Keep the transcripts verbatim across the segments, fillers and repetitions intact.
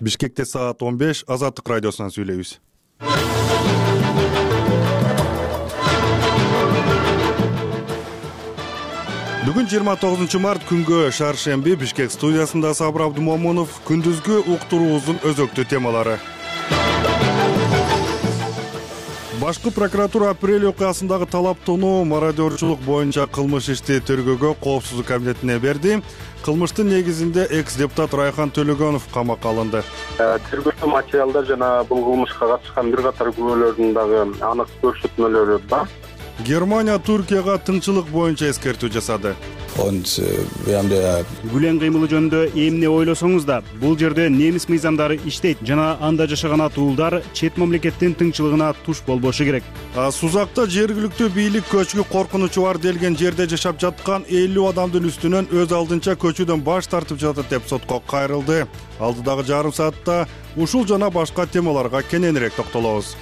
Бишкекте саат он беш, Азаттык радиосунан сүйлөйбүз. Бүгүн жыйырма тогузунчу март күнгө шаршемби Бишкек студиясында Сабыр Абдумомунов. Күндүзгү уктуруубуздун өзөктүү темалары. Башкы прокуратура апрель окуясындагы талаптоону мародёрчулук боюнча кылмыш ишти тергөөгө коопсуздук комитетине берди. Кылмыштын негизинде экс-депутат Райхан Төлөгөнов камакка алынды. Тергөөчү материалдар жана бул кылмышка катышкан бир катар күбөлөрдүн дагы анык көрсөтмөлөрү бар. Германия Түркияга тынччылык боюнча эскертүү жасады. Гүлен кыймылы жөнүндө эмне ойлосоңуз да, бул жерде немис мыйзамдары иштейт жана анда жашаган атуулдар чет мамлекеттин тынччылыгына туш болбошу керек. Сузакта жергиликтүү бийлик көчкү коркунучу бар делген жерде жашап жаткан элүү адамдын үстүнөн өз алдынча көчүүдөн баш тартып жатат деп сотко кайрылды. Алдыдагы жарым саатта ушул жана башка темаларга кененирээк токтолобуз.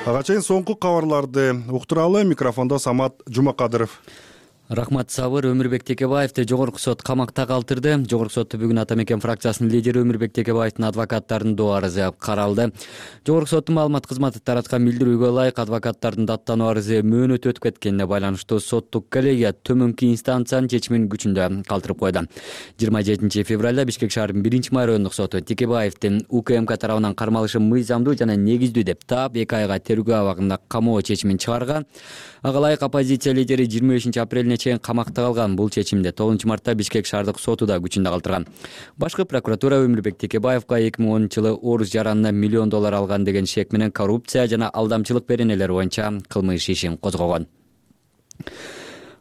Ага чейин соңку кабарларды уктуралы. Микрофондо Самат Жумакадыров. Рахмат Сабыр. Өмүрбек Текебаевди жогорку сот камакта калтырды. Жогорку сотто бүгүн Ата Мекен фракциясынын лидери Өмүрбек Текебаевдин адвокаттарынын доо арызы каралды. Жогорку соттун маалымат кызматы тараткан билдирүүгө ылайык адвокаттардын даттануу арызы мөөнөтү өтүп кеткенине байланыштуу соттук коллегия төмөнкү инстанциянын чечимин күчүндө калтырып койду. жыйырма жетинчи февралда Бишкек шаарынын биринчи майроондук соту Текебаевдин УКМК тарабынан кармалышы мыйзамдуу жана негиздүү деп таап эки айга тергөө абагында камоо чечимин чыгарган. Ага ылайык оппозиция лидери жыйырма бешинчи апрелине чейин камакта калган. Бул чечимди тогузунчу мартта Бишкек шаардык соту да күчүндө калтырган. Башкы прокуратура Өмүрбек Текебаевга эки миң онунчу жылы орус жаранына миллион доллар алган деген шек менен коррупция жана алдамчылык беренелери боюнча кылмыш ишин козгогон.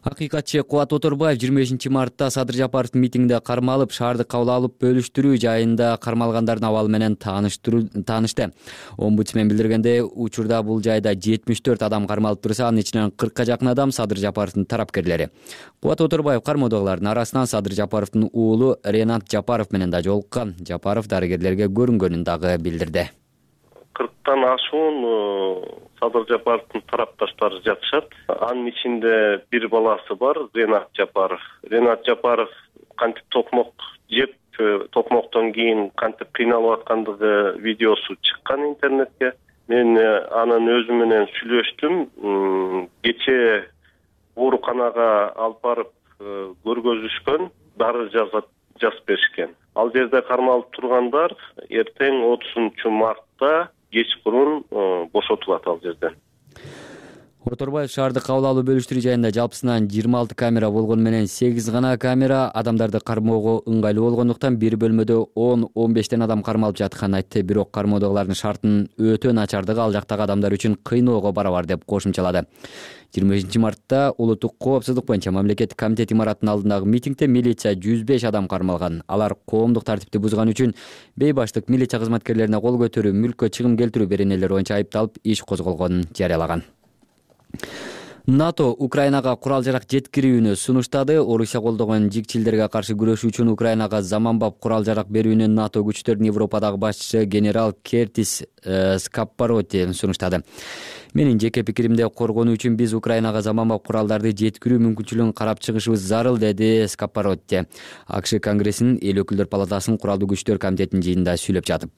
Акыйкатчы Кубат Оторбаев жыйырма бешинчи мартта Садыр Жапаровдун митингде кармалып, шаарды кабыл алып бөлүштүрүү жайында кармалгандардын абалы менен таанышты. Омбудсмен билдиргендей, учурда бул жайда жетимиш төрт адам кармалып турса, анын ичинен кыркка жакын адам Садыр Жапаровдун тарапкерлери. Кубат Оторбаев кармоодогулардын арасынан Садыр Жапаровдун уулу Ренат Жапаров менен да жолуккан. Жапаров дарыгерлерге көрүнгөнүн дагы билдирди. кырктан ашуун Садыр Жапаровдун тарапташтары жатышат. Анын ичинде бир баласы бар, Ренат Жапаров. Ренат Жапаров кантип токмок жеп, токмоктон кийин кантип кыйналып аткандыгы видеосу чыккан интернетке. Мен анын өзү менен сүйлөштүм. Кечээ ооруканага алып барып көргөзүшкөн, дары жазып жазып беришкен. Ал жерде кармалып тургандар эртең отузунчу мартта кечкурун бошотулат ал жерден. Оторбаев шаарды кабыл алуу бөлүштүрүү жайында жалпысынан жыйырма алты камера болгону менен сегиз гана камера адамдарды кармоого ыңгайлуу болгондуктан бир бөлмөдө он он бештен адам кармалып жатканын айтты. Бирок кармоодогулардын шартынын өтө начардыгы ал жактагы адамдар үчүн кыйноого барабар деп кошумчалады. жыйырма бешинчи мартта улуттук коопсуздук боюнча мамлекеттик комитет имаратынын алдындагы митингде милиция жүз беш адам кармалган. Алар коомдук тартипти бузган үчүн бейбаштык, милиция кызматкерлерине кол көтөрүү, мүлккө чыгым келтирүү беренелери боюнча айыпталып иш козголгонун жарыялаган. НАТО Украинага курал-жарак жеткирүүнү сунуштады. Орусия колдогон жикчилдерге каршы күрөшүү үчүн Украинага заманбап курал-жарак берүүнү НАТО күчтөрүнүн Европадагы башчысы генерал Кертис э, Скаппароти сунуштады. Менин жеке пикиримде коргонуу үчүн биз Украинага заманбап куралдарды жеткирүү мүмкүнчүлүгүн карап чыгышыбыз зарыл, деди Скаппароти. АКШ Конгрессинин эл өкүлдөр палатасынын куралдуу күчтөр комитетинин жыйынында сүйлөп жатып.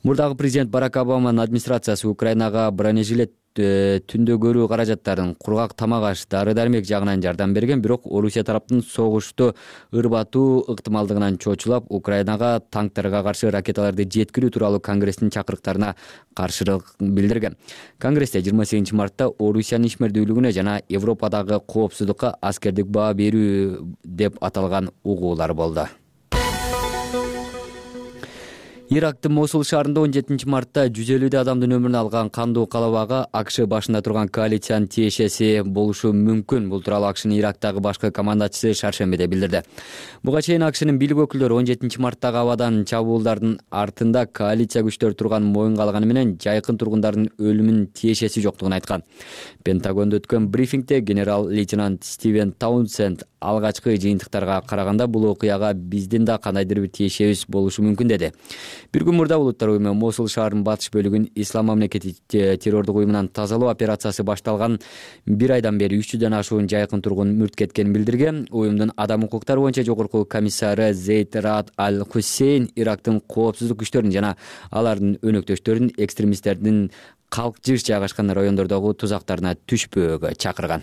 Мурдагы президент Барак Обаманын администрациясы Украинага бронежилет, түндө көрүү каражаттарын, кургак тамак аш, дары-дармек жагынан жардам берген, бирок Орусия тараптын согушту ырбатуу ыктымалдыгынан чочулап, Украинага танктарга каршы ракеталарды жеткирүү тууралуу Конгресстин чакырыктарына каршылык билдирген. Конгрессте жыйырма сегизинчи мартта Орусиянын ишмердүүлүгүнө жана Европадагы коопсуздукка аскердик баа берүү деп аталган угуулар болду. Ирактын Мосул шаарында он жетинчи мартта жүз элүүдөй адамдын өмүрүн алган кандуу калабага АКШ башында турган коалициянын тиешеси болушу мүмкүн. Бул тууралуу АКШнын Ирактагы башкы командачысы шаршембиде билдирди. Буга чейин АКШнын бийлик өкүлдөрү он жетинчи марттагы абадан чабуулдардын артында коалиция күчтөрү турган моюнга алганы менен жайкын тургундардын өлүмүнүн тиешеси жоктугун айткан. Пентагондо өткөн брифингде генерал-лейтенант Стивен Таунсенд алгачкы жыйынтыктарга караганда бул окуяга биздин да кандайдыр бир тиешебиз болушу мүмкүн деди. Бир күн мурда улуттар уюму Мосул шаарынын батыш бөлүгүн ислам мамлекети террордук уюмунан тазалоо операциясы башталган бир айдан бери үч жүздөн ашуун жайкын тургун мүрт кеткенин билдирген. Уюмдун адам укуктары боюнча жогорку комиссары Зейд Раад Аль-Хусейн Ирактын коопсуздук күчтөрүн жана алардын өнөктөштөрүн экстремисттердин калк жыш жайгашкан райондордогу тузактарына түшпөөгө чакырган.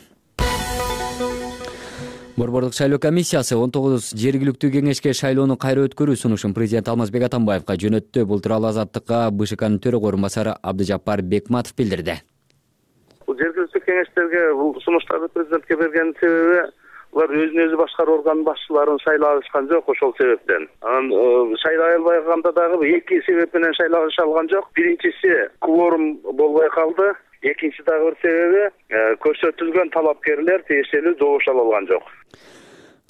Борбордук шайлоо комиссиясы он тогуз жергиликтүү кеңешке шайлоону кайра өткөрүү сунушун президент Алмазбек Атамбаевка жөнөттү. Бул тууралуу Азаттыкка БШКнын төрөгө орун басары Абдыжаппар Бекматов билдирди. Жергиликтүү кеңештерге бул сунуштарды президентке берген себеби булар өзүн өзү башкаруу органынын башчыларын шайлай алышкан жок, ошол себептен. Анан шайлай албай калганда дагы эки себеп менен шайлай алышалган жок. Биринчиси кворум болбой калды. Экинчи дагы бир себеби көрсөтүлгөн талапкерлер тиешелүү добуш ала алган жок.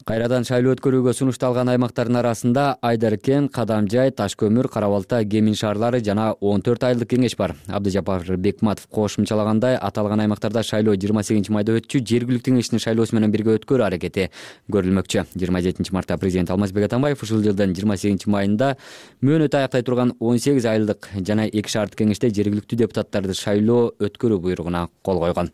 Кайрадан шайлоо өткөрүүгө сунушталган аймактардын арасында Айдаркен, Кадамжай, Таш көмүр, Кара Балта, Кемин шаарлары жана он төрт айылдык кеңеш бар. Абдыжаппар Бекматов кошумчалагандай, аталган аймактарда шайлоо жыйырма сегизинчи майда өтчү. Жергиликтүү кеңештин шайлоосу менен бирге өткөрүү аракети көрүлмөкчү. жыйырма жетинчи мартта президент Алмазбек Атамбаев ушул жылдын жыйырма сегизинчи майында мөөнөтү аяктай турган он сегиз айылдык жана эки шаардык кеңеште жергиликтүү депутаттарды шайлоо өткөрүү буйругуна кол койгон.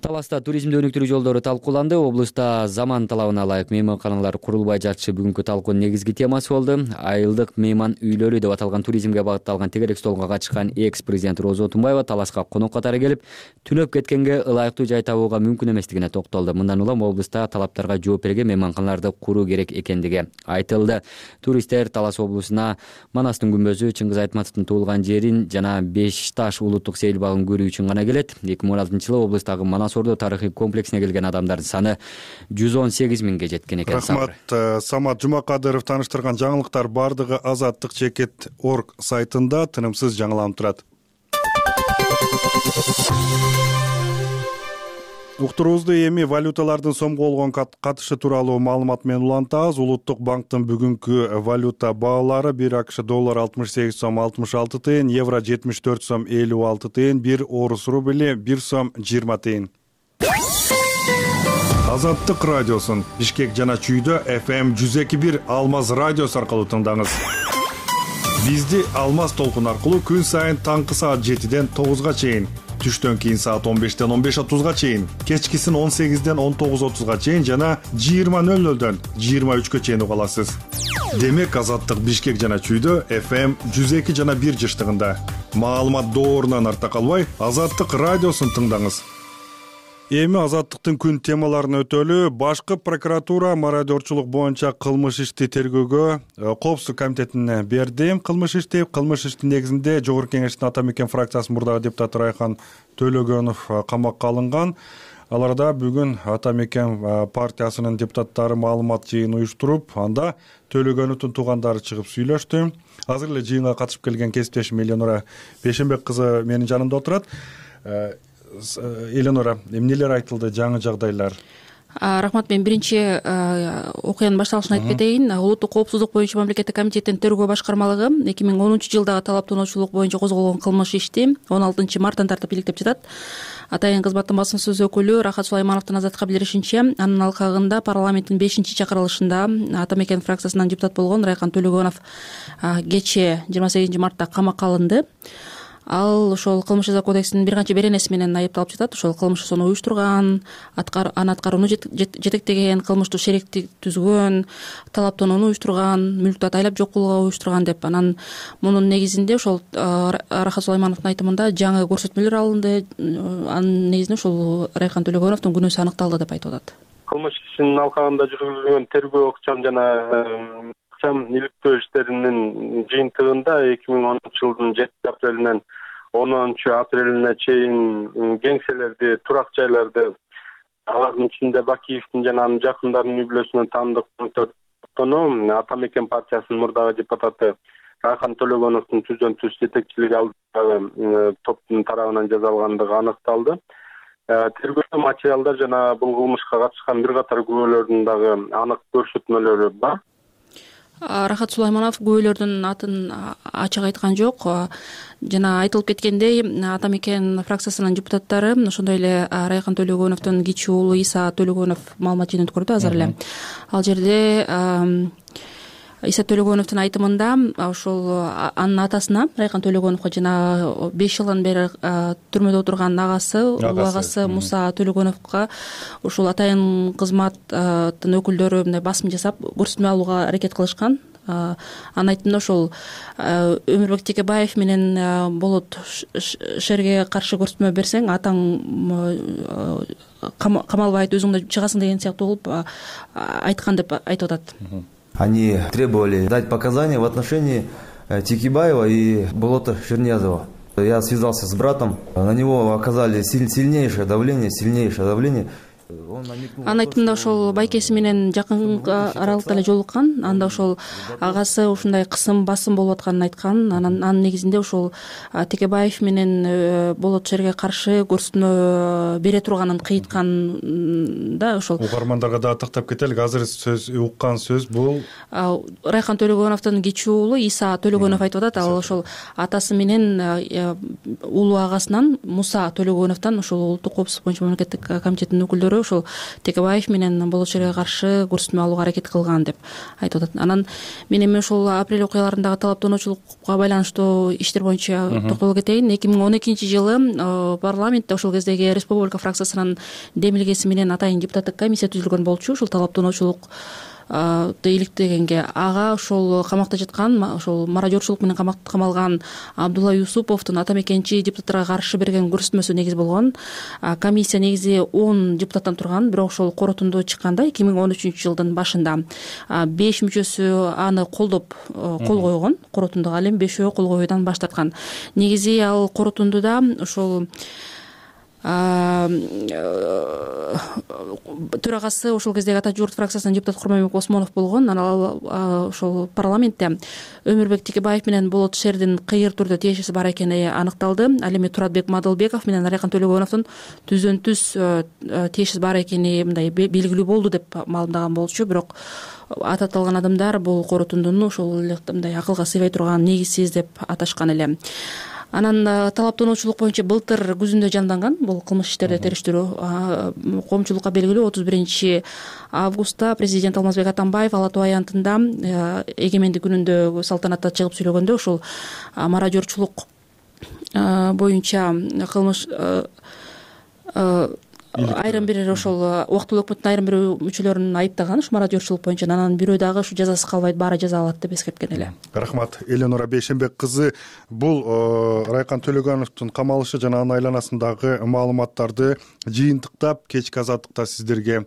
Таласта туризмди өнүктүрүү жолдору талкууланды. Облуста заман талабына ылайык мейманканалар курулбай жатышы бүгүнкү талкуунун негизги темасы болду. Айылдык мейман үйлөрү деп аталган туризмге багытталган тегерек столго катышкан экс-президент Роза Отунбаева Таласка конок катары келип, түнөп кеткенге ылайыктуу жай табууга мүмкүн эместигине токтолду. Мындан улам облуста талаптарга жооп берген мейманканаларды куруу керек экендиги айтылды. Туристтер Талас облусуна Манастын күмбөзү, Чыңгыз Айтматовдун туулган жерин жана Беш Таш улуттук сейил багын көрүү үчүн гана келет. эки миң он алтынчы жылы облустагы Манас Ордо тарыхый комплексине келген адамдардын саны жүз он сегиз миңге жеткен экен. Рахмат. Самат Жумакадыров таныштырган жаңылыктар бардыгы Азаттык чекит орг сайтында тынымсыз жаңыланып турат. Уктуруубузду эми валюталардын сомго болгон катышы тууралуу маалымат менен улантабыз. Улуттук банктын бүгүнкү валюта баалары: бир АКШ доллар алтымыш сегиз сом алтымыш алты тыйын, евро жетимиш төрт сом элүү алты тыйын, бир орус рубли бир сом жыйырма тыйын. Азаттык радиосун Бишкек жана Чүйдө эф эм жүз эки бир Алмаз радиосу аркылуу тыңдаңыз. Бизди Алмаз толкун аркылуу күн сайын таңкы саат жетиден тогузга чейин, түштөн кийин саат он бештен он беш отузга чейин, кечкисин он сегизден он тогуз отузга чейин жана жыйырма нөл нөлдөн жыйырма үчкө чейин уга аласыз. Демек Азаттык Бишкек жана Чүйдө эф эм жүз эки жана бир жыштыгында. Маалымат доорунан артта калбай, Азаттык радиосун тыңдаңыз. Эми Азаттыктын күн темаларына өтөлү. Башкы прокуратура мародерчулук боюнча кылмыш ишти тергөөгө Коопсуздук комитетине берди. Кылмыш ишти кылмыш иштин негизинде Жогорку Кеңештин Ата Мекен фракциясынын мурдагы депутаты Райхан Төлөгөнов камакка алынган. Аларда бүгүн Ата Мекен партиясынын депутаттары маалымат жыйын уюштуруп, анда Төлөгөновдун туугандары чыгып сүйлөштү. Азыр эле жыйынга катышып келген кесиптешим Эленора Бешенбек кызы менин жанымда отурат. Эленора, эмнелер айтылды, жаңы жагдайлар? Рахмат, мен биринчи окуянын башталышын айтып кетейин. Улуттук коопсуздук боюнча мамлекеттик комитеттин тергөө башкармалыгы эки миң онунчу жылдагы талаптануучулук боюнча козголгон кылмыш ишти он алтынчы марттан тартып иликтеп жатат. Атайын кызматтын басым сөз өкүлү Рахат Сулаймановдун Азаттыкка билдиришинче, анын алкагында парламенттин бешинчи чакырылышында Ата Мекен фракциясынан депутат болгон Райхан Төлөгөнов кечээ жыйырма сегизинчи мартта камакка алынды. Ал ошол кылмыш жаза кодексинин бир канча беренеси менен айыпталып жатат. Ошол кылмышты уюштурган, аны аткарууну жетектеген, кылмыштуу шеректи түзгөн, талаптанууну уюштурган, мүлктү атайлап жок кылууга уюштурган деп. Анан мунун негизинде ошол Рахат Сулаймановдун айтымында жаңы көрсөтмөлөр алынды. Анын негизинде ошол Райхан Төлөгөновдун күнөөсү аныкталды деп айтып атат. Кылмыш ишинин алкагында жүргүзүлгөн тергөө ыкчам жана ыкчам иликтөө иштеринин жыйынтыгында эки миң онунчу жылдын жетинчи апрелинен онунчу апрелине чейин кеңселерди, турак жайларды, алардын ичинде Бакиевдин жана анын жакындарынын үй бүлөсүнөн таандык топтону Ата Мекен партиясынын мурдагы депутаты Райхан Төлөгөновдун түздөн түз жетекчилиги алдындагы топтун тарабынан жасалгандыгы аныкталды. Тергөө материалдар жана бул кылмышка катышкан бир катар күбөлөрдүн дагы анык көрсөтмөлөрү бар. Рахат Сулайманов күбөлөрдүн атын ачык айткан жок. Жана айтылып кеткендей, Ата Мекен фракциясынын депутаттары, ошондой эле Райхан Төлөгөновдун кичи уулу Иса Төлөгөнов маалымат жыйын өткөрдү азыр эле. Ал жерде Иса Төлөгөновдун айтымында ошол анын атасына, Райкан Төлөгөновго жана беш жылдан бери түрмөдө отурган агасы, улуу агасы Муса Төлөгөновго ушул атайын кызматтын өкүлдөрү мындай басым жасап көрсөтмө алууга аракет кылышкан. Анын айтымында ошол Өмүрбек Текебаев менен Болот Шерге каршы көрсөтмө берсең, атаң камалбайт, өзүң да чыгасың деген сыяктуу кылып айткан деп айтып атат. Они требовали дать показания в отношении Текебаева и Болота Шерниязова. Я связался с братом, на него оказали сильнейшее давление, сильнейшее давление. Анын айтымында ошол байкеси менен жакын аралыкта эле жолуккан, анда ошол агасы ушундай кысым, басым болуп атканын айткан. Анын негизинде ошол Текебаев менен Болот Шерге каршы көрсөтмө бере турганын кыйыткан да. Ошол угармандарга да тактап кетелик. Азыр сөз уккан сөз бул Райкан Төлөгөновдун кичүү уулу Иса Төлөгөнов айтып атат. Ал ошол атасы менен улуу агасынан Муса Төлөгөновдон ошол улуттук коопсуздук боюнча мамлекеттик комитеттин өкүлдөрү ошол Текебаев менен Болот Шерге каршы көрсөтмө алууга аракет кылган деп айтып атат. Анан мен эми ошол апрель окуяларындагы талаптануучулукка байланыштуу иштер боюнча токтоло кетейин. эки миң он экинчи жылы парламентте ошол кездеги республика фракциясынын демилгеси менен атайын депутаттык комиссия түзүлгөн болчу. Ушул талаптануучулук иликтегенге ага ошол камакта жаткан, ошол мародёрчулук менен камалган Абдулла Юсуповдун ата мекенчи депутаттарга каршы берген көрсөтмөсү негиз болгон. Комиссия негизи он депутаттан турган, бирок ошол корутунду чыкканда эки миң он үчүнчү жылдын башында беш мүчөсү аны колдоп кол койгон корутундуга, ал эми бешөө кол коюудан баш тарткан. Негизи ал корутундуда ошол төрагасы ошол кездеги Ата журт фракциясынын депутаты Курманбек Осмонов болгон. Анан ал ошол парламентте Өмүрбек Текебаев менен Болот Шердин кыйыр түрдө тиешеси бар экени аныкталды. Ал эми Туратбек Мадылбеков менен Райкан Төлөгөновдун түздөн түз тиешеси бар экени мындай белгилүү болду деп маалымдаган болчу. Бирок ататылган адамдар бул корутундуну ошол эле мындай акылга сыйбай турган, негизсиз деп аташкан эле. Анан талаптануучулук боюнча былтыр күзүндө жанданган бул кылмыш иштерди териштирүү. Коомчулукка белгилүү отуз биринчи августта президент Алмазбек Атамбаев Ала Тоо аянтында эгемендик күнүндө салтанатта чыгып сүйлөгөндө ошол мародёрчулук боюнча кылмыш айрым бир ошол убактылуу өкмөттүн айрым бир мүчөлөрүн айыптаган ушу мародёрчулук боюнча. Анан бирөө дагы ушу жазасыз калбайт, баары жаза алат деп эскерткен эле. Рахмат. Эленора Бейшенбек кызы, бул Райкан Төлөгөновдун камалышы жана анын айланасындагы маалыматтарды жыйынтыктап кечки азаттыкта сиздерге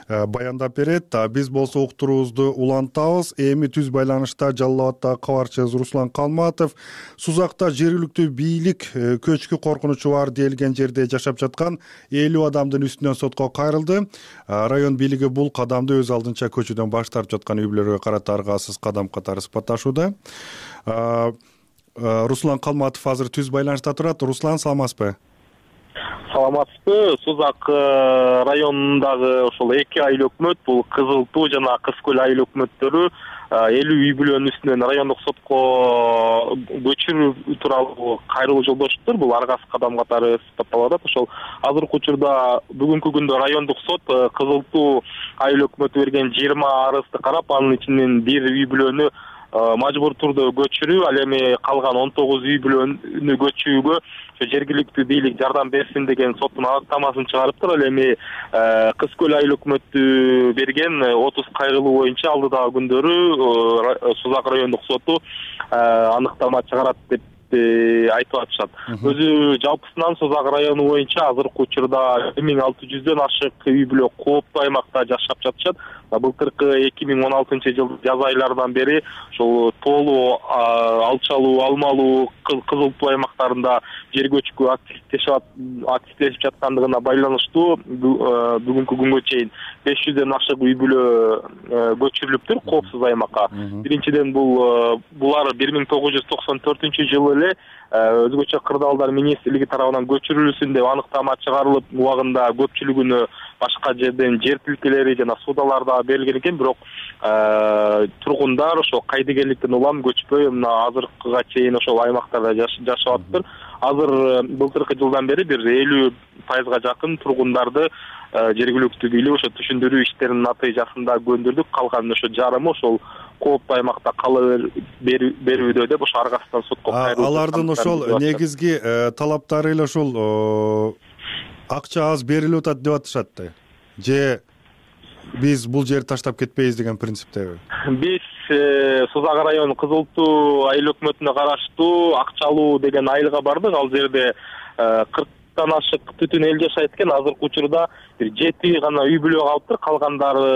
баяндап берет. Биз болсо уктуруубузду улантабыз. Эми түз байланышта Жалал Абаддагы кабарчыбыз Руслан Калматов Сузакта жергиликтүү бийлик көчкү коркунучу бар делген жерде жашап жаткан элүү адамдын үстүнөн сотко кайрылды. Район бийлиги бул кадамды өз алдынча көчүүдөн баш тартып жаткан үй бүлөлөргө карата аргасыз кадам катары сыпатташууда. Руслан Калматов азыр түз байланышта турат. Руслан, саламатсызбы? Саламатсызбы. Сузак районундагы ошол эки айыл өкмөт, бул Кызыл Туу жана Кыз Көл айыл өкмөттөрү элүү үй бүлөнүн үстүнөн райондук сотко көчүрүү тууралуу кайрылуу жолдошуптур. Бул аргасыз кадам катары сыпатталып атат. Ошол азыркы учурда бүгүнкү күндө райондук сот Кызыл Туу айыл өкмөтү берген жыйырма арызды карап, анын ичинен бир үй бүлөнү мажбур түрдө көчүрүү, ал эми калган он тогуз үй бүлөнү көчүүгө жергиликтүү бийлик жардам берсин деген соттун анықтамасын чыгарыптыр. Ал эми Кыз Көл айыл өкмөтү берген отуз кайрылуу боюнча алдыдагы күндөрү Сузак райондук соту аныктама чыгарат деп айтып атышат. Өзү жалпысынан Сузак району боюнча азыркы учурда бир миң алты жүздөн ашык үй бүлө кооптуу аймакта жашап жатышат. Былтыркы эки миң он алтынчы жыл жаз айларынан бери ошол тоолуу, алчалуу, алмалуу, Кызыл Туу аймактарында жер көчкү активдешип жаткандыгына байланыштуу бүгүнкү күнгө чейин беш жүздөн ашык үй бүлө көчүрүлүптүр коопсуз аймакка. Биринчиден бул булар бир миң тогуз жүз токсон төртүнчү жылы эле өзгөчө кырдаалдар министрлиги тарабынан көчүрүлсүн деп аныктама чыгарылып, убагында көпчүлүгүнө башка жерден жер тилкелери жана суудаларда берилген экен. Бирок тургундар ошол кайдыгерликтен улам көчпөй мына азыркыга чейин ошол аймактарда жашап атыптыр. Азыр былтыркы жылдан бери бир элүү пайызга жакын тургундарды жергиликтүү бийлик ошо түшүндүрүү иштеринин натыйжасында көндүрдүк. Калган ошо жарымы ошол кооптуу аймакта кала берүүдө деп ошо аргасынан сотко кайрылып алардын ошол негизги талаптары эле ушул акча аз берилип атат деп атышат да, же биз бул жерди таштап кетпейбиз деген принциптеби? Биз Сузак району Кызыл Туу айыл өкмөтүнө караштуу Акчалуу деген айылга бардык. Ал жерде кырктан ашык түтүн эл жашайт экен. Азыркы учурда бир жети гана үй бүлө калыптыр, калгандары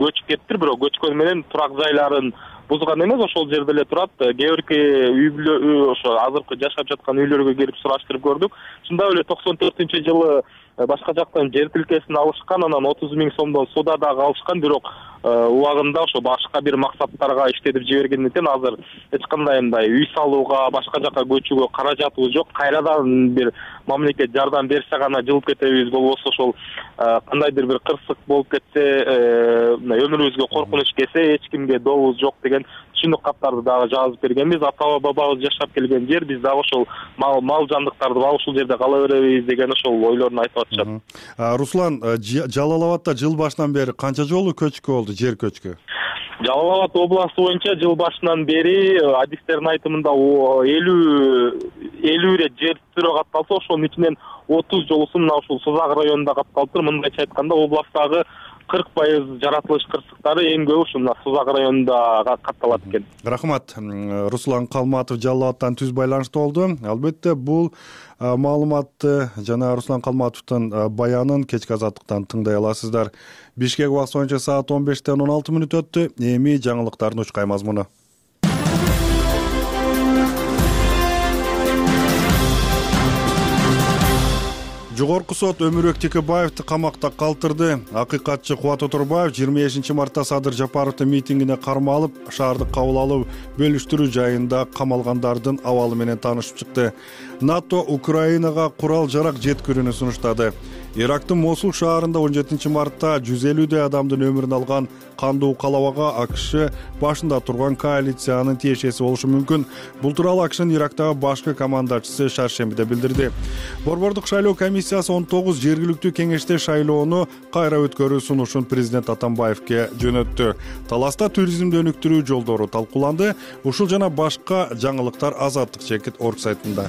көчүп кетиптир. Бирок көчкөн менен турак жайларын бузган эмес, ошол жерде эле турат. Кээ бирки үй бүлө ошо азыркы жашап жаткан үйлөргө келип сураштырып көрдүк. Чындап эле токсон төртүнчү жылы башка жактан жер тилкесин алышкан, анан отуз миң сомдон суда дагы алышкан, бирок убагында ошо башка бир максаттарга иштетип жибергендиктен азыр эч кандай мындай үй салууга, башка жака көчүүгө каражатыбыз жок. Кайрадан бир мамлекет жардам берсе гана жылып кетебиз, болбосо ошол кандайдыр бир кырсык болуп кетсе, өмүрүбүзгө коркунуч келсе, эч кимге добубуз жок деген түшүнүк каттарды дагы жазып бергенбиз. Ата бабабыз жашап келген жер, биз дагы ошол мал мал жандыктарды алып ушул жерде кала беребиз деген ошол ойлорун айтып атышат. Руслан, Жалал Абадта жыл башынан бери канча жолу көчкү болду, жер көчкү? Жалал Абад областы боюнча жыл башынан бери адистердин айтымында элүү элүү ирет жер түрө катталса, ошонун ичинен отуз жолусу мына ушул Сузак районунда катталыптыр. Мындайча айтканда, областагы кырк пайыз жаратылыш кырсыктары эң көбү ушул Сузак районунда катталат экен. Рахмат. Руслан Калматов Жалал Абадтан түз байланышта болду. Албетте бул маалыматты жана Руслан Калматовдун баянын кечки азаттыктан тыңдай аласыздар. Бишкек убакыты боюнча саат он бештен он алты мүнөт өттү. Эми жаңылыктардын учкай мазмуну. Жогорку сот Өмүрбек Текебаевди камакта калтырды. Акыйкатчы Кубат Оторбаев жыйырма бешинчи мартта Садыр Жапаровдун митингине кармалып, шаардык кабыл алуу бөлүштүрүү жайында камалгандардын абалы менен таанышып чыкты. НАТО Украинага курал жарак жеткирүүнү сунуштады. Ирактын Мосул шаарында он жетинчи мартта жүз элүүдөй адамдын өмүрүн алган кандуу калабага АКШ башында турган коалициянын тиешеси болушу мүмкүн. Бул тууралуу АКШнын Ирактагы башкы командачысы шаршембиде билдирди. Борбордук шайлоо комиссиясы он тогуз жергиликтүү кеңеште шайлоону кайра өткөрүү сунушун президент Атамбаевке жөнөттү. Таласта туризмди өнүктүрүү жолдору талкууланды. Ушул жана башка жаңылыктар Азаттык чекит орг сайтында.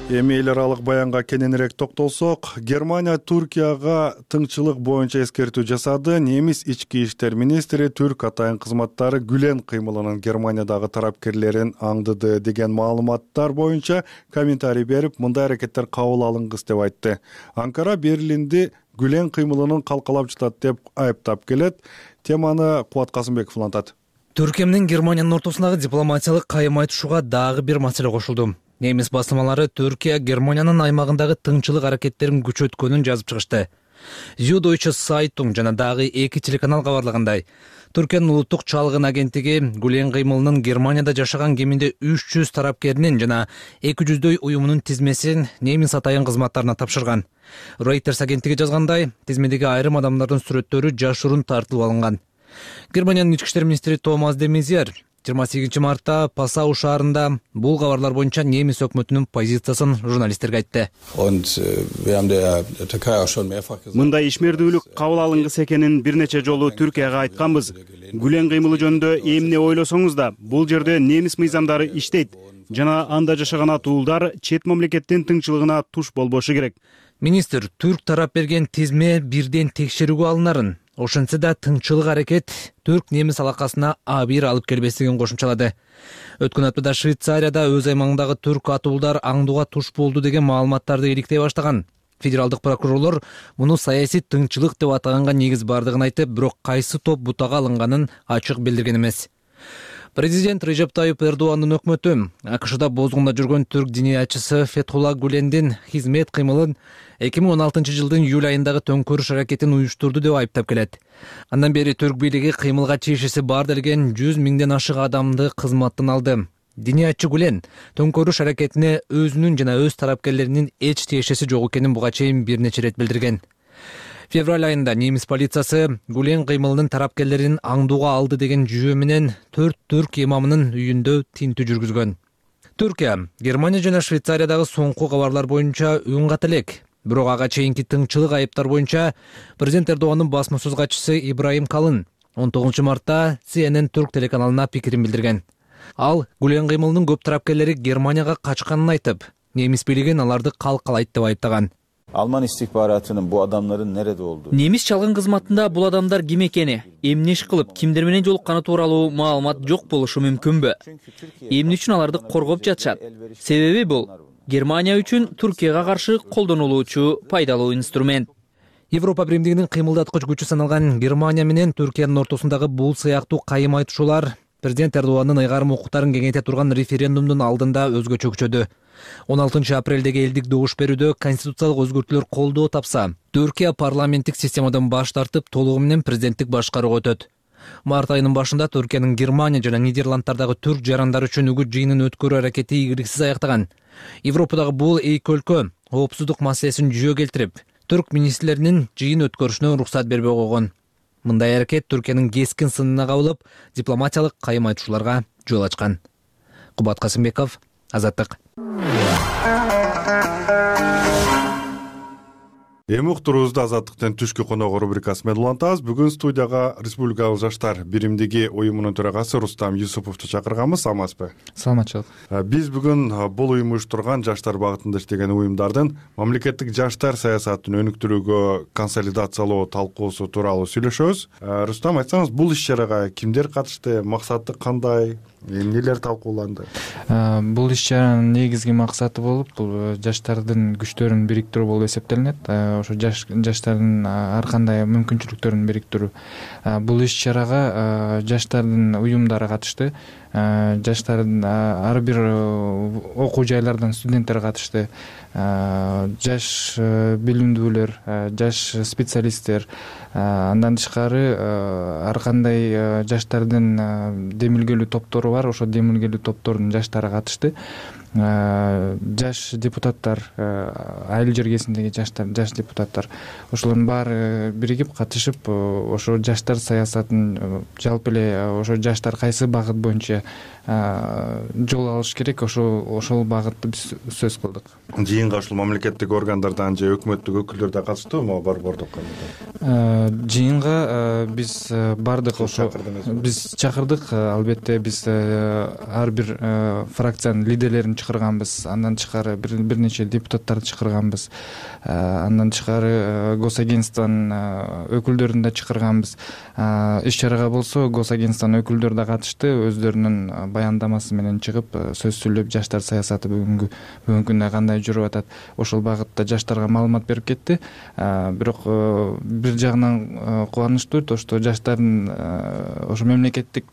Эми эл аралык баянга кененирээк токтолсок, Германия Туркияга тыңчылык боюнча эскертүү жасады. Немис ички иштер министри түрк атайын кызматтары Гүлен кыймылынын Германиядагы тарапкерлерин аңдыды деген маалыматтар боюнча комментарий берип, мындай аракеттер кабыл алынгыс деп айтты. Анкара Берлинди Гүлен кыймылынын калкалап жатат деп айыптап келет. Теманы Кубат Касымбеков улантат. Түркия менен Германиянын ортосундагы дипломатиялык кайым айтышууга дагы бир маселе кошулду. Немис басылмалары Түркия Германиянын аймагындагы тыңчылык аракеттерин күчөткөнүн жазып чыгышты. Süddeutsche Zeitung жана дагы эки телеканал кабарлагандай, Түркиянын улуттук чалгын агенттиги Гүлен кыймылынын Германияда жашаган кеминде үч жүз тарапкеринин жана эки жүздөй уюмунун тизмесин немис атайын кызматтарына тапшырган. Reuters агенттиги жазгандай, тизмедеги айрым адамдардын сүрөттөрү жашыруун тартылып алынган. Германиянын ички иштер министри Томас де Мезьер жыйырма сегизинчи мартта Пасау шаарында бул кабарлар боюнча немис өкмөтүнүн позициясын журналисттерге айтты. Мындай ишмердүүлүк кабыл алынгыс экенин бир нече жолу Түркияга айтканбыз. Гүлен кыймылы жөнүндө эмне ойлосоңуз да, бул жерде немис мыйзамдары иштейт жана анда жашаган атуулдар чет мамлекеттин тыңчылыгына туш болбошу керек. Министр түрк тарап берген тизме бирден текшерүүгө алынарын, ошентсе да тыңчылык аракет түрк-немис алакасына абийир алып келбестигин кошумчалады. Өткөн аптада Швейцарияда өз аймагындагы түрк атуулдар аңдууга туш болду деген маалыматтарды иликтей баштаган. Федералдык прокурорлор муну саясий тыңчылык деп атаганга негиз бардыгын айтып, бирок кайсы топ бутага алынганын ачык билдирген эмес. Президент Режеп Тайып Эрдоандын өкмөтү АКШда бозгунда жүргөн түрк диниячысы Фетхулла Гүлендин хизмет кыймылын эки миң он алтынчы жылдын июль айындагы төңкөрүш аракетин уюштурду деп айыптап келет. Андан бери түрк бийлиги кыймылга чейишеси бар делген жүз миңден ашык адамды кызматтан алды. Диниячы Гүлен төңкөрүш аракетине өзүнүн жана өз тарапкерлеринин эч тиешеси жок экенин буга чейин бир нече рет билдирген. Февраль айында немис полициясы Гүлен кыймылынын тарапкерлерин аңдууга алды деген жүйө менен төрт түрк имамынын үйүндө тинтүү жүргүзгөн. Түркия Германия жана Швейцариядагы соңку кабарлар боюнча үн ката элек. Бирок ага чейинки тыңчылык айыптар боюнча президент Эрдогандын басма сөз катчысы Ибраим Калын он тогузунчу мартта Си Эн Эн Түрк телеканалына пикирин билдирген. Ал Гүлен кыймылынын көп тарапкерлери Германияга качканын айтып, немис бийлигин аларды калкалайт деп айыптаган. Alman istihbaratının bu adamların nerede olduğu. Немис чалгын кызматында бул адамдар ким экени, эмне иш кылып, кимдер менен жолукканы тууралуу маалымат жок болушу мүмкүнбү? Эмне үчүн аларды коргоп жатышат? Себеби бул Германия үчүн Түркияга каршы колдонулуучу пайдалуу инструмент. Европа биримдигинин кыймылдаткыч күчү саналган Германия менен Түркиянын ортосундагы бул сыяктуу кайым айтышуулар президент Эрдогандын ыйгарым укуктарын кеңейте турган референдумдун алдында өзгөчө күчөдү. он алтынчы апрелдеги элдик добуш берүүдө конституциялык өзгөртүүлөр колдоо тапса, Түркия парламенттик системадан баш тартып толугу менен президенттик башкарууга өтөт. Март айынын башында Түркиянын Германия жана Нидерланддардагы түрк жарандары үчүн үгүт жыйынын өткөрүү аракети ийгиликсиз аяктаган. Европадагы бул эки өлкө коопсуздук маселесин жүйө келтирип, түрк министрлеринин жыйын өткөрүшүнө уруксат бербей койгон. Мындай аракет Түркиянын кескин сынына кабылып, дипломатиялык кайым айтышууларга жол ачкан. Кубат Касымбеков, Азаттык. Эми уктуруубузду Азаттыктын түшкү коногу рубрикасы менен улантабыз. Бүгүн студияга Республикалык жаштар биримдиги уюмунун төрагасы Рустам Юсуповду чакырганбыз. Саламатсызбы? Саламатчылык. Биз бүгүн бул уюм уюштурган жаштар багытында иштеген уюмдардын мамлекеттик жаштар саясатын өнүктүрүүгө консолидациялоо талкуусу тууралуу сүйлөшөбүз. Рустам, айтсаңыз, бул иш-чарага кимдер катышты, максаты кандай? Эмнелер талкууланды? Бул иш-чаранын негизги максаты болуп, бул жаштардын күчтөрүн бириктирүү болуп эсептелинет. Ошо жаштардын ар кандай мүмкүнчүлүктөрүн бириктирүү. Бул иш-чарага жаштардын уюмдары катышты. Жаштардын ар бир окуу жайлардан студенттер катышты. Жаш билимдүүлөр, жаш специалисттер, андан тышкары ар кандай жаштардын демилгелүү топтору бар. Ошо демилгелүү топтордун жаштары катышты. Жаш депутаттар, айыл жергесиндеги жаштар, жаш депутаттар, ошолордун баары биригип катышып, ошо жаштар саясатын жалпы эле ошо жаштар кайсы багыт боюнча жол алыш керек, ошол ошол багытты биз сөз кылдык. Жыйынга ушул мамлекеттик органдардан же өкмөттүк өкүлдөр да катыштыбы, борбордук? Жыйынга биз бардык, ошо биз чакырдык. Албетте биз ар бир фракциянын лидерлерин чакырганбыз. Андан тышкары бир нече депутаттарды чакырганбыз. Андан тышкары госагентствонун өкүлдөрүн да чакырганбыз. Иш-чарага болсо госагентствонун өкүлдөрү да катышты. Өздөрүнүн баяндамасы менен чыгып сөз сүйлөп, жаштар саясаты бүгүнкү бүгүнкү күндө кандай жүрүп атат, ошол багытта жаштарга маалымат берип кетти. Бирок бир жагынан кубанычтуу, ошто жаштардын ошо мемлекеттик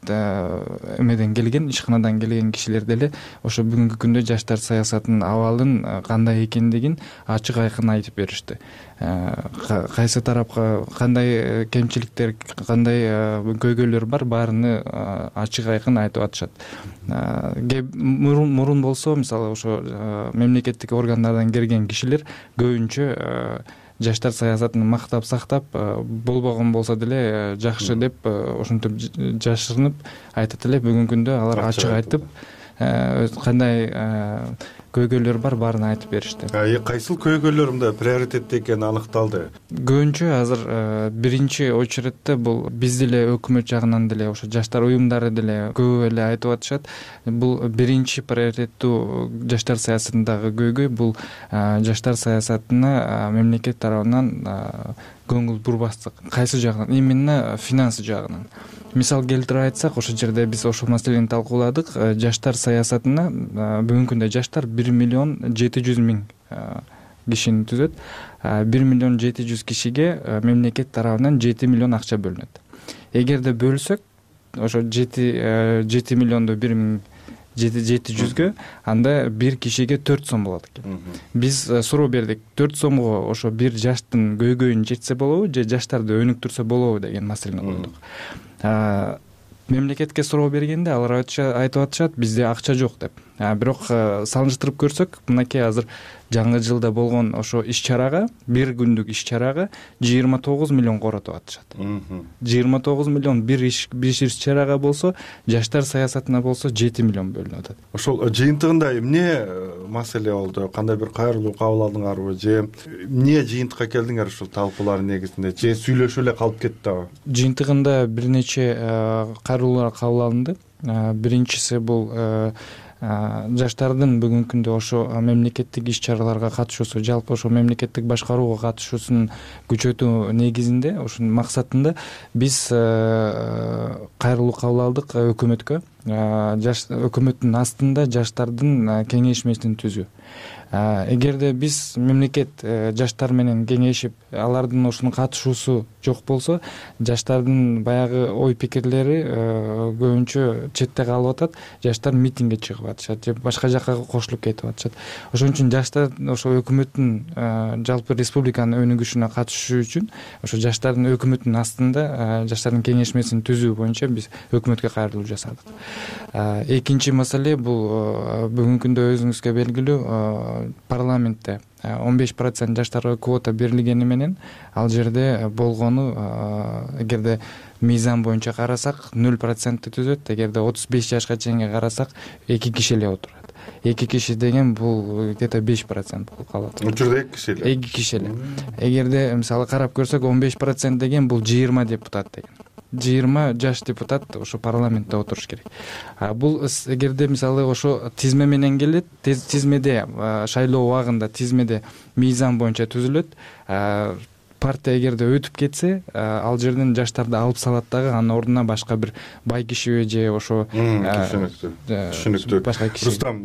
эмеден келген, ишканадан келген кишилер деле ошо бүгүнкү күндө жаштар саясатынын абалын кандай экендигин ачык айкын айтып беришти. Кайсы тарапка кандай кемчиликтер, кандай көйгөйлөр бар, баарыны ачык айкын айтып атышат. Мурун болсо, мисалы ошо мемлекеттик органдардан келген кишилер көбүнчө жаштар саясатын мактап сактап, болбогон болсо деле жакшы деп ошентип жашырынып айтат эле. Бүгүнкү күндө алар ачык айтып, кандай көйгөйлөр бар, баарын айтып беришти. Кайсыл көйгөйлөр мында приоритетте экени аныкталды? Көбүнчө азыр биринчи очередте бул биз деле өкмөт жагынан деле, ошо жаштар уюмдары деле көп эле айтып атышат. Бул биринчи приоритеттүү жаштар саясатындагы көйгөй бул жаштар саясатына мемлекет тарабынан көңүл бурбастык. Кайсы жагынан? Именно финансы жагынан. Мисал келтирип айтсак, ошол жерде биз ошол маселени талкууладык. Жаштар саясатына бүгүнкү күндө жаштар бир миллион жети жүз миң кишини түзөт. бир миллион жети жүз кишиге мемлекет тарабынан жети миллион акча бөлүнөт. Эгерде бөлсөк, ошо жети миллионду бир миң жети жүзгө, анда бир кишиге төрт сом болот экен. Биз суроо бердик, төрт сомго ошо бир жаштын көйгөйүн жетсе болобу же жаштарды өнүктүрсө болобу деген маселени койдук. Мемлекетке суроо бергенде алар айтып атышат, бизде акча жок деп. Бирок салыштырып көрсөк, мынакей азыр жаңы жылда болгон ошо иш чарага, бир күндүк иш чарага жыйырма тогуз миллион коротуп атышат. жыйырма тогуз миллион бир иш бир иш чарага болсо, жаштар саясатына болсо жети миллион бөлүнүп атат. Ошол жыйынтыгында эмне маселе болду? Кандай бир кайрылуу кабыл алдыңарбы же эмне жыйынтыкка келдиңер ушул талкуулардын негизинде? Же сүйлөшүп эле калып кеттиби? Жыйынтыгында бир нече кайрылуулар кабыл алынды. Биринчиси бул жаштардын бүгүнкү күндө ошо мамлекеттик иш чараларга катышуусу, жалпы ошо мамлекеттик башкарууга катышуусун күчөтүү негизинде, ошонун максатында биз кайрылуу кабыл алдык өкмөткө. Өкмөттүн астында жаштардын кеңешмесин түзүү. Эгерде биз мамлекет жаштар менен кеңешип, алардын ошону катышуусу жок болсо, жаштардын баягы ой пикирлери көбүнчө четте калып атат. Жаштар митингге чыгып атышат же башка жакка кошулуп кетип атышат. Ошон үчүн жаштар ошо өкмөттүн жалпы республиканын өнүгүшүнө катышуу үчүн ошо жаштардын өкмөттүн астында жаштардын кеңешмесин түзүү боюнча биз өкмөткө кайрылуу жасадык. Экинчи маселе бул бүгүнкү күндө өзүңүзгө белгилүү парламентте он беш процент жаштарга квота берилгени менен ал жерде болгону, эгерде мыйзам боюнча карасак нөл процентти түзөт, эгерде отуз беш жашка чейинге карасак эки киши эле отурат. Эки киши деген бул где-то беш процент болуп калат. Учурда эки киши эле. Эки киши эле. Эгерде мисалы карап көрсөк он беш процент деген бул жыйырма депутат деген. жыйырма жаш депутат ошо парламентте отуруш керек. Бул эгерде мисалы ошо тизме менен келет, тизмеде шайлоо убагында тизмеде мыйзам боюнча түзүлөт. Партия эгерде өтүп кетсе, ал жерден жаштарды алып салат дагы, анын ордуна башка бир бай кишиби же ошо түшүнүктүү. Башка киши. Рустам,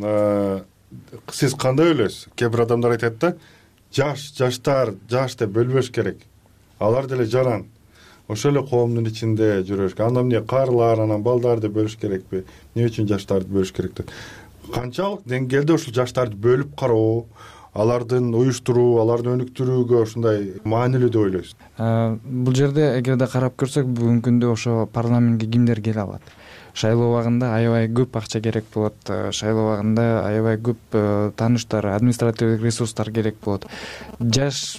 сиз кандай ойлойсуз? Кээ бир адамдар айтат да, жаш, жаштар, жаш деп бөлбөш керек. Алар деле жаран. Ошол эле коомдун ичинде жүрөш керек. Анда эмне карлар, анан балдарды бөлүш керекпи? Эмне үчүн жаштарды бөлүш керек деп? Канчалык деңгээлде ушул жаштарды бөлүп кароо, алардын уюштуруу, аларды өнүктүрүүгө ушундай маанилүү деп ойлойсуз? Бул жерде эгерде карап көрсөк, бүгүнкү күндө ошо парламентке кимдер келе алат? Шайлоо убагында аябай көп акча керек болот. Шайлоо убагында аябай көп тааныштар, административдик ресурстар керек болот. Жаш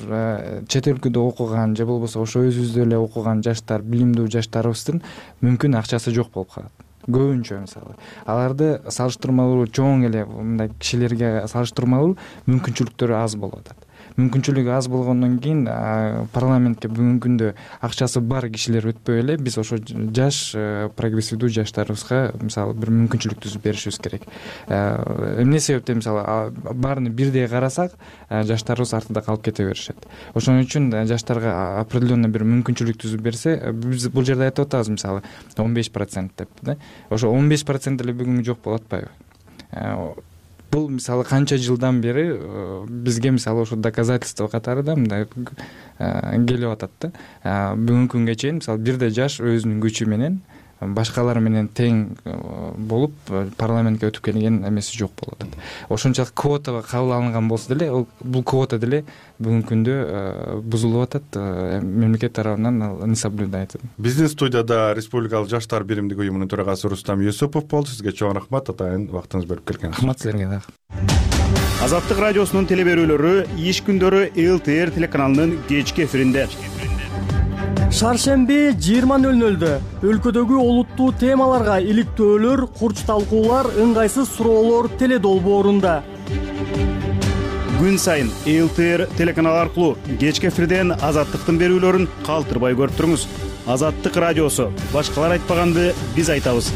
чет өлкөдө окуган же болбосо ошо өзүбүздө эле окуган жаштар, билимдүү жаштарыбыздын мүмкүн акчасы жок болуп калат. Көбүнчө мисалы. Аларды салыштырмалуу чоң эле мындай кишилерге салыштырмалуу мүмкүнчүлүктөрү аз болуп атат. Мүмкүнчүлүгү аз болгондон кийин парламентке бүгүнкү күндө акчасы бар кишилер өтпөй эле биз ошо жаш прогрессивдүү жаштарыбызга мисалы бир мүмкүнчүлүк түзүп беришибиз керек. Эмне себептен мисалы баарын бирдей карасак, жаштарыбыз артында калып кете беришет. Ошон үчүн жаштарга определенный бир мүмкүнчүлүк түзүп берсе, биз бул жерде айтып атабыз мисалы он беш процент деп, да? Ошо он беш процент эле бүгүн жок болуп атпайбы? Бул мисалы канча жылдан бери бизге мисалы ошо доказательство катары да мындай келип атат да. Бүгүнкү күнгө чейин мисалы бирде жаш өзүнүн күчү менен башкалар менен тең болуп парламентке өтүп келген эмеси жок болуп атат. Ошончолук квотага кабыл алынган болсо деле, бул квота деле бүгүнкү күндө бузулуп атат, мамлекет тарабынан не соблюдается. Бизнес студияда Республикалык жаштар биримдиги уюмунун төрагасы Рустам Юсупов болду. Сизге чоң рахмат, атайын вактыңыз бөлүп келгениңиз. Рахмат силерге дагы. Азаттык радиосунун телеберүүлөрү иш күндөрү эл тэ эр телеканалынын кечки эфиринде. Шаршемби жыйырма нөл нөлдө өлкөдөгү олуттуу темаларга иликтөөлөр, курч талкуулар, ыңгайсыз суроолор теледолбоорунда. Күн сайын эл тэ эр телеканалы аркылуу кечки эфирден Азаттыктын берүүлөрүн калтырбай көрүп туруңуз. Азаттык радиосу. Башкалар айтпаганды биз айтабыз.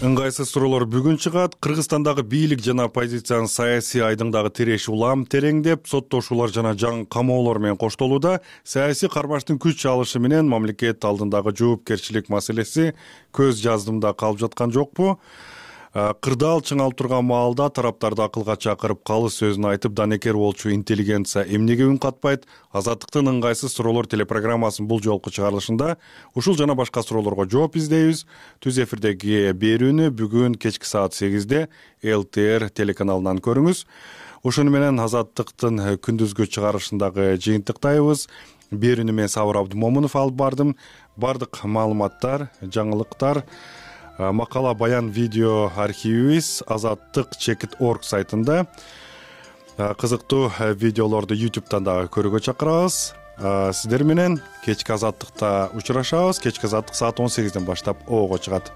Ыңгайсыз суроолор бүгүн чыгат. Кыргызстандагы бийлик жана оппозициянын саясий айдыңдагы тиреш улам тереңдеп, соттошуулар жана жаңы камоолор менен коштолууда. Саясий кармаштын күч алышы менен мамлекет алдындагы жоопкерчилик маселеси көз жаздымда калып жаткан жокпу? Кырдаал чыңалып турган маалда тараптарды акылга чакырып, калыс сөзүн айтып, данекер болчу интеллигенция эмнеге үн катпайт? Азаттыктын ыңгайсыз суроолор телепрограммасынын бул жолку чыгарылышында ушул жана башка суроолорго жооп издейбиз. Түз эфирдеги берүүнү бүгүн кечки саат сегизде эл тэ эр телеканалынан көрүңүз. Ошону менен Азаттыктын күндүзгү чыгарылышындагы жыйынтыктайбыз. Берүүнү мен Сабыр Абдымомунов алып бардым. Бардык маалыматтар, жаңылыктар, макала, баян, видео архивибиз азаттык чекит точка орг сайтында. кызыктуу видеолорду ютубтан дагы көрүүгө чакырабыз. Сиздер менен кечки азаттыкта учурашабыз. Кечки азаттык саат он сегизден баштап оого чыгат.